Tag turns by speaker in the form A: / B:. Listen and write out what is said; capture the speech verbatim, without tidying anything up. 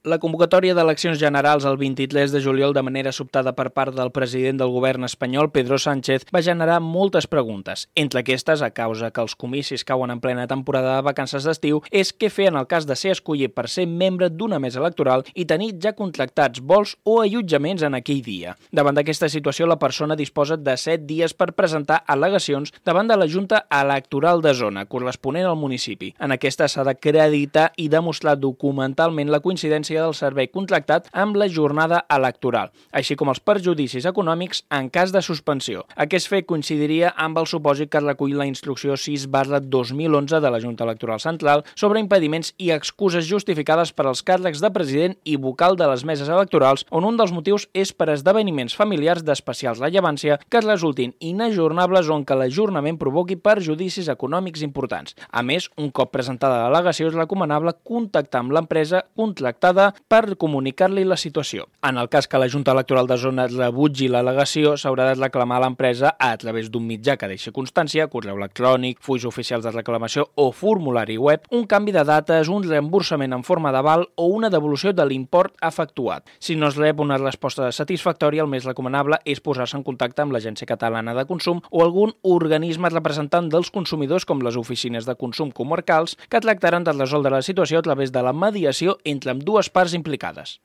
A: La convocatòria d'eleccions generals el vint-i-tres de juliol de manera sobtada per part del president del govern espanyol, Pedro Sánchez, va generar moltes preguntes. Entre aquestes, a causa que els comicis cauen en plena temporada de vacances d'estiu, és què fer en el cas de ser escollit per ser membre d'una mesa electoral i tenir ja contractats vols o allotjaments en aquell dia. Davant d'aquesta situació, la persona disposa de set dies per presentar al·legacions davant de la Junta Electoral de Zona, corresponent al municipi. En aquesta s'ha d'acreditar i demostrar documentalment la coincidència del servei contractat amb la jornada electoral, així com els perjudicis econòmics en cas de suspensió. Aquest fet coincidiria amb el supòsit que recull la instrucció sis barra dos mil onze de la Junta Electoral Central sobre impediments i excuses justificades per als càrrecs de president i vocal de les meses electorals, on un dels motius és per esdeveniments familiars d'especial rellevància que resultin inajornables o en què l'ajornament provoqui perjudicis econòmics importants. A més, un cop presentada l'al·legació, és recomanable contactar amb l'empresa contractada per comunicar-li la situació. En el cas que la Junta Electoral de Zona rebutgi l'al·legació, s'haurà de reclamar a l'empresa a través d'un mitjà que deixi constància, correu electrònic, fulls oficials de reclamació o formulari web, un canvi de dates, un reemborsament en forma d'aval o una devolució de l'import efectuat. Si no es rep una resposta satisfactòria, el més recomanable és posar-se en contacte amb l'Agència Catalana de Consum o algun organisme representant dels consumidors com les oficines de consum comarcals que tractaran de resoldre la situació a través de la mediació entre ambdues parts implicades.